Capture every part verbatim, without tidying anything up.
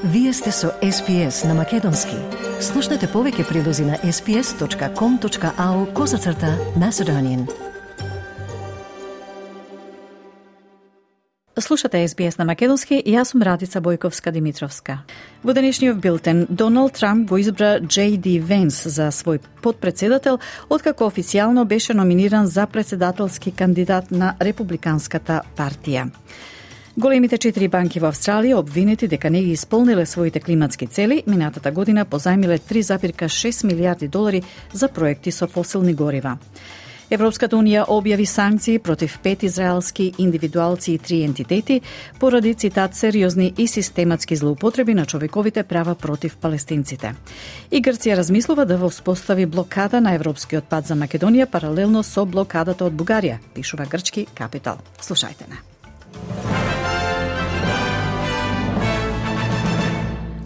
Вие сте со Ес Пи Ес на Македонски. Слушнете повеќе прилози на ес пи ес точка ком точка ау козацрта Macedonian. Слушате Ес Би Ес на Македонски и јас сум Радица Бојковска-Димитровска. Во денешниот билтен, Доналд Трамп го избра Џей Ди Венс за свој подпредседател, откако официјално беше номиниран за председателски кандидат на Републиканската партија. Големите четири банки во Австралија обвинети дека не ги исполниле своите климатски цели, минатата година позајмиле три запирка шест милијарди долари за проекти со фосилни горива. Европската унија објави санкции против пет израелски индивидуалци и три ентитети поради, цитат, сериозни и систематски злоупотреби на човековите права против палестинците. И Грција размислува да воспостави блокада на европскиот пат за Македонија паралелно со блокадата од Бугарија, пишува грчки Капитал. Слушајте на.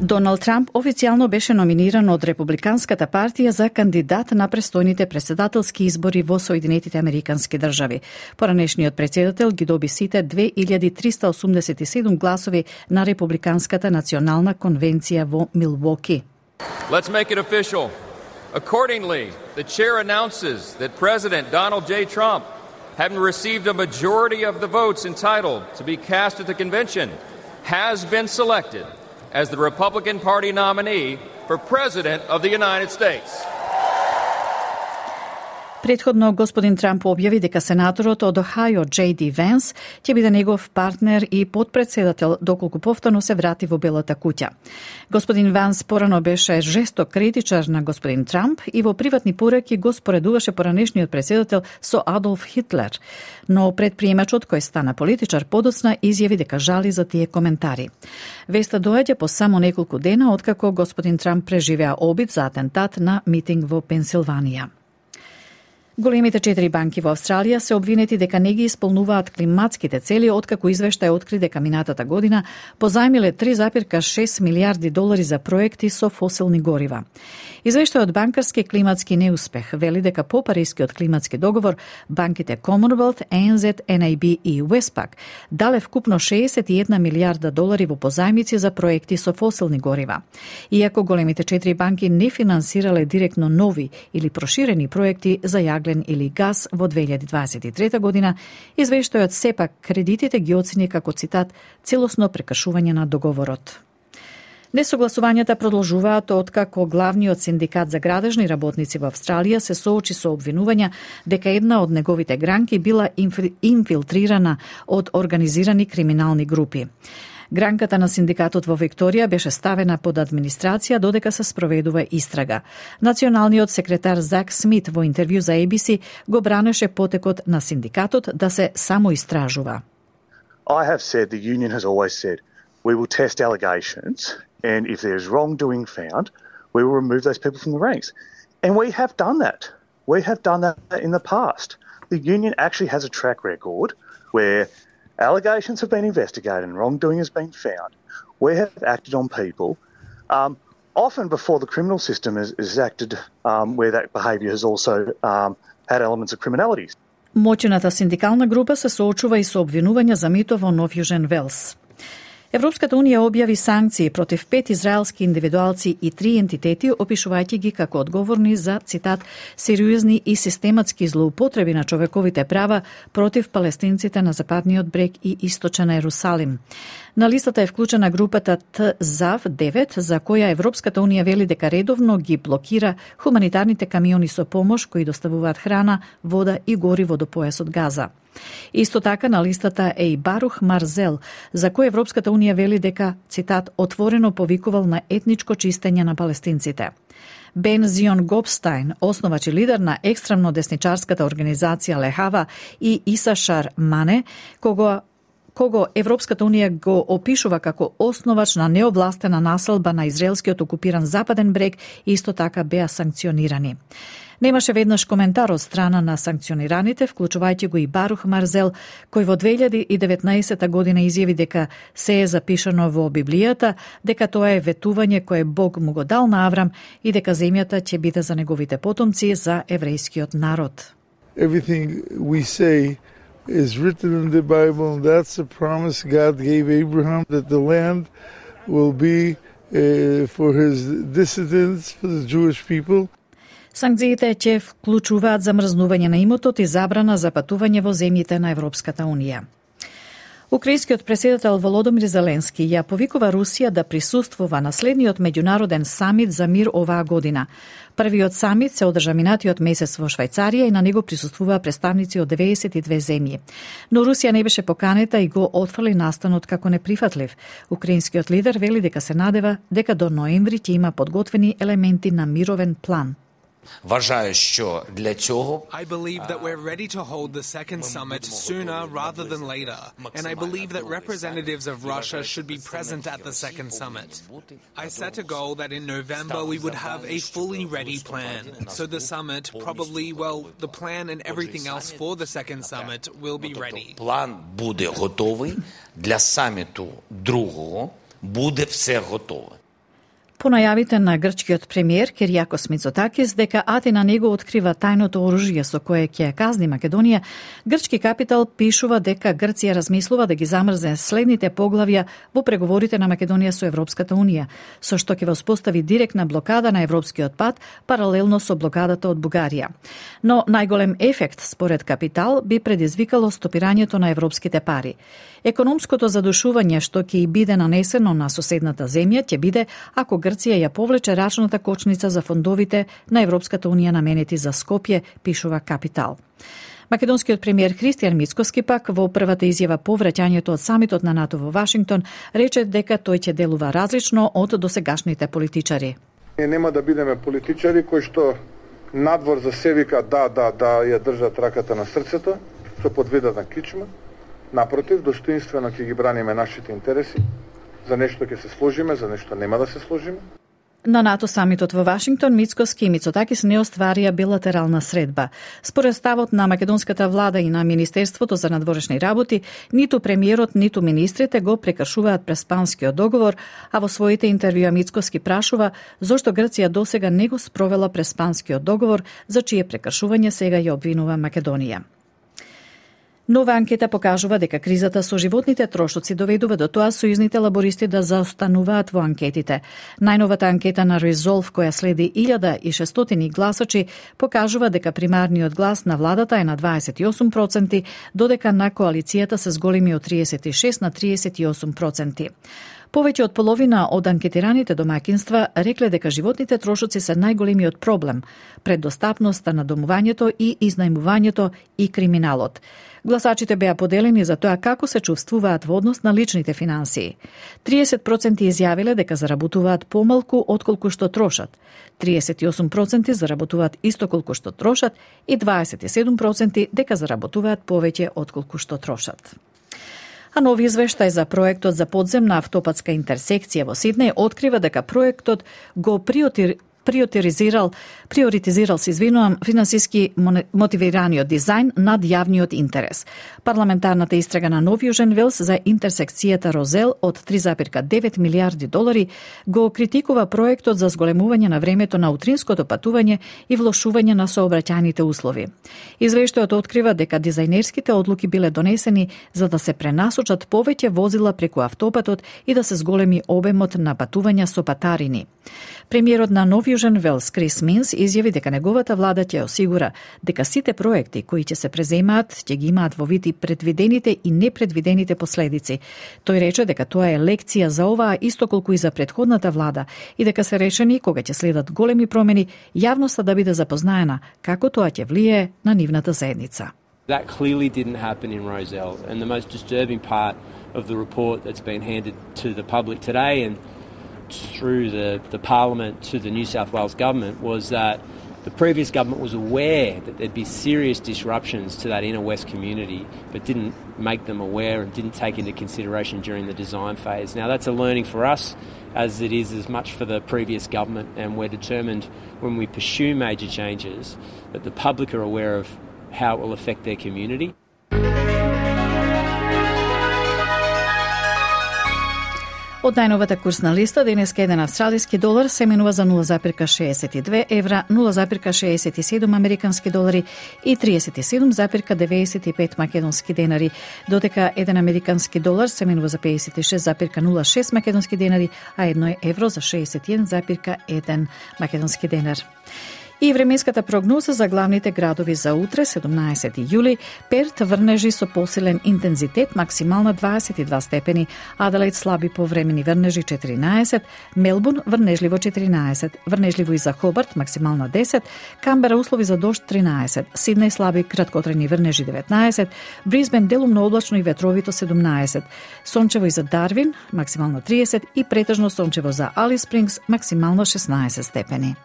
Доналд Трамп официјално беше номиниран од Републиканската партија за кандидат на престојните претседателски избори во Соединетите Американски држави. Поранешниот претседател ги доби сите две илјади триста осумдесет и седум гласови на Републиканската национална конвенција во Милвоки. Let's make it official. Accordingly, the chair announces that President Donald J. Trump, having received a majority of the votes entitled to be cast at the convention, has been selected as the Republican Party nominee for President of the United States. Претходно, господин Трамп објави дека сенаторот од Охајо Џей Ди Венс ќе биде негов партнер и подпредседател доколку повторно се врати во Белата куќа. Господин Венс порано беше жесток критичар на господин Трамп и во приватни пореки го споредуваше поранешниот председател со Адолф Хитлер, но предприемачот кој стана политичар подоцна изјави дека жали за тие коментари. Веста доаѓа по само неколку дена откако господин Трамп преживеа обид за атентат на митинг во Пенсилванија. Големите четири банки во Австралија се обвинети дека не ги исполнуваат климатските цели, откако извештај откри дека минатата година позајмиле три запирка шест милијарди долари за проекти со фосилни горива. Извештајот банкарски климатски неуспех вели дека по Парискиот климатски договор банките Commonwealth, Ей Ен Зет, Ен Ей Би и Westpac дале вкупно шеесет и една милијарда долари во позајмици за проекти со фосилни горива. Иако големите четири банки не финансирале директно нови или проширени проекти за јаглен или газ во две илјади дваесет и трета година, извештајот сепак кредитите ги оцени како, цитат, целосно прекршување на договорот. Несогласувањата продолжуваат откако главниот синдикат за градежни работници во Австралија се соочи со обвинувања дека една од неговите гранки била инфилтрирана од организирани криминални групи. Гранката на синдикатот во Викторија беше ставена под администрација додека се спроведува истрага. Националниот секретар Зак Смит во интервју за Ей Би Си го бранеше потекот на синдикатот да се самоистражува. I have said, the union has always said, we will test allegations and if there is wrongdoing found, we will remove those people from the ranks. And we have done that. We have done that in the past. The union actually has a track record where allegations have been investigated and wrongdoing has been found. We have acted on people, um, often before the criminal system is, is acted, um, where that behaviour has also um, had elements of criminality. Моќната синдикална група се соочува и со обвинувања за мито во Нов Јужен Велс. Европската унија објави санкции против пет израелски индивидуалци и три ентитети, опишувајќи ги како одговорни за, цитат, сериозни и систематски злоупотреби на човековите права против палестинците на Западниот брег и Источен Ерусалим. На листата е вклучена групата Т ЗАВ девет, за која Европската унија вели дека редовно ги блокира хуманитарните камиони со помош кои доставуваат храна, вода и гориво до појасот Газа. Исто така на листата е и Барух Марзел, за кој Европската унија вели дека, цитат, отворено повикувал на етничко чистење на палестинците. Бен Зион Гопстајн, основач и лидер на екстремно десничарската организација Лехава, и Исашар Мане, кого кого Европската унија го опишува како основач на неовластена населба на израелскиот окупиран Западен брег, исто така беа санкционирани. Немаше веднаш коментар од страна на санкционираните, вклучувајќи го и Барух Марзел, кој во две илјади и деветнаесета година изјави дека се е запишано во Библијата, дека тоа е ветување кое Бог му го дал на Аврам и дека земјата ќе биде за неговите потомци, за еврејскиот народ. Everything we say is written in the Bible, and that's a promise God gave Abraham, that the land will be uh, for his dissidents, for the Jewish people. Санкциите ќе вклучуваат замрзнување на имотот и забрана за патување во земјите на Европската Унија. Украинскиот претседател Володомир Зеленски ја повикува Русија да присуствува на следниот меѓународен самит за мир оваа година. Првиот самит се одржа минатиот месец во Швајцарија и на него присуствуваа представници од деветдесет и две земји. Но Русија не беше поканета и го отфрли настанот како неприфатлив. Украинскиот лидер вели дека се надева дека до ноември ќе има подготвени елементи на мировен план. Вважаю, що для цього I believe that we're ready to hold the second summit sooner rather than later, and I believe that representatives of Russia should be present at the second summit. I set a goal that in November we would have a fully ready plan. So the summit, probably, well, the plan and everything else for the second summit will be ready. План буде готовий, для саміту другого буде все готове. По најавите на грчкиот премиер Кириакос Мицотакис дека Атина него открива тајното оружје со кое ќе казни Македонија, грчки капитал пишува дека Грција размислува да ги замрзне следните поглавја во преговорите на Македонија со Европската Унија, со што ќе воспостави директна блокада на европскиот пат паралелно со блокадата од Бугарија. Но најголем ефект според капитал би предизвикало стопирањето на европските пари. Економското задушување што ќе и биде нанесено на соседната земја ќе биде ако Грција ја повлече рачната кочница за фондовите на Европската Унија наменети за Скопје, пишува Капитал. Македонскиот премиер Христијан Мицкоски пак во првата изјава по враќањето од самитот на НАТО во Вашингтон рече дека тој ќе делува различно од досегашните политичари. Ние нема да бидеме политичари кои што надвор за се вика да, да, да ја држат раката на срцето со подвида на кичма. Напротив, достоинствено ќе ги браниме нашите интереси. За нешто ќе се сложиме, за нешто нема да се сложиме. На НАТО самитот во Вашингтон Мицкоски и Мицотакис не остварија билатерална средба. Според ставот на македонската влада и на Министерството за надворешни работи, ниту премиерот, ниту министрите го прекршуваат преспанскиот договор, а во своите интервјуа Мицкоски прашува зошто Грција досега не го спровела преспанскиот договор, за чие прекршување сега ја обвинува Македонија. Нова анкета покажува дека кризата со животните трошоци доведува до тоа сојузните лабористи да заостануваат во анкетите. Најновата анкета на Resolve, која следи илјада и шестстотини гласачи, покажува дека примарниот глас на владата е на дваесет и осум проценти, додека на коалицијата се зголеми од триесет и шест на триесет и осум проценти. Повеќе од половина од анкетираните домаќинства рекле дека животните трошоци се најголемиот проблем пред достапноста на домувањето и изнајмувањето и криминалот. Гласачите беа поделени за тоа како се чувствуваат во однос на личните финансии. триесет проценти изјавиле дека заработуваат помалку отколку што трошат, триесет и осум проценти заработуваат исто колку што трошат и дваесет и седум проценти дека заработуваат повеќе отколку што трошат. А нови извештај за проектот за подземна автопатска интерсекција во Сиднеј открива дека проектот го приоритизирал приоритизирал, приоритизирал се извинувам, финансиски мотивираниот дизајн над јавниот интерес. Парламентарната истрага на Нов Јужен Велс за интерсекцијата Розел од три зарез девет милијарди долари го критикува проектот за зголемување на времето на утринското патување и влошување на сообраќајните услови. Извештајот открива дека дизајнерските одлуки биле донесени за да се пренасочат повеќе возила преку автопатот и да се зголеми обемот на патувања со патарини. Премиерот на Нов Јужен Велс Крис Минс изјави дека неговата влада ќе осигура дека сите проекти кои ќе се преземаат ќе ги имаат во вид и предвидените и непредвидените последици. Тој рече дека тоа е лекција за оваа исто колку и за претходната влада и дека се решени кога ќе следат големи промени јавноста да биде запознаена како тоа ќе влијае на нивната заедница. That clearly didn't happen in Rozelle, and the most disturbing part of the report that's been handed to the public today and through the, the Parliament to the New South Wales Government was that the previous government was aware that there'd be serious disruptions to that inner west community, but didn't make them aware and didn't take into consideration during the design phase. Now that's a learning for us, as it is as much for the previous government, and we're determined when we pursue major changes that the public are aware of how it will affect their community. Од најновата курсна листа, денеска еден австралиски долар се менува за нула запирка шеесет и две евра, нула запирка шеесет и седум американски долари и триесет и седум запирка деветдесет и пет македонски денари, додека еден американски долар се менува за пеесет и шест запирка нула шест македонски денари, а едно евро за шеесет и еден запирка еден македонски денар. И временската прогноза за главните градови за утре, седумнаесети јули, Перт врнежи со посилен интензитет, максимална дваесет и два степени, Аделаид слаби повремени врнежи четиринаесет, Мелбурн врнежливо четиринаесет, врнежливо и за Хобарт максимална десет, Камбера услови за дожд тринаесет, Сиднеј слаби краткотрajни врнежи деветнаесет, Брисбен делумно облачно и ветровито седумнаесет, сончево и за Дарвин максимално триесет и претежно сончево за Алис Спрингс максимално шеснаесет степени.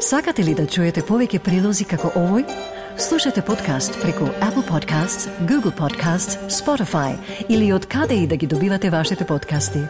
Сакате ли да чуете повеќе прилози како овој? Слушате подкаст преку Apple Podcasts, Google Podcasts, Spotify или од каде и да ги добивате вашите подкасти.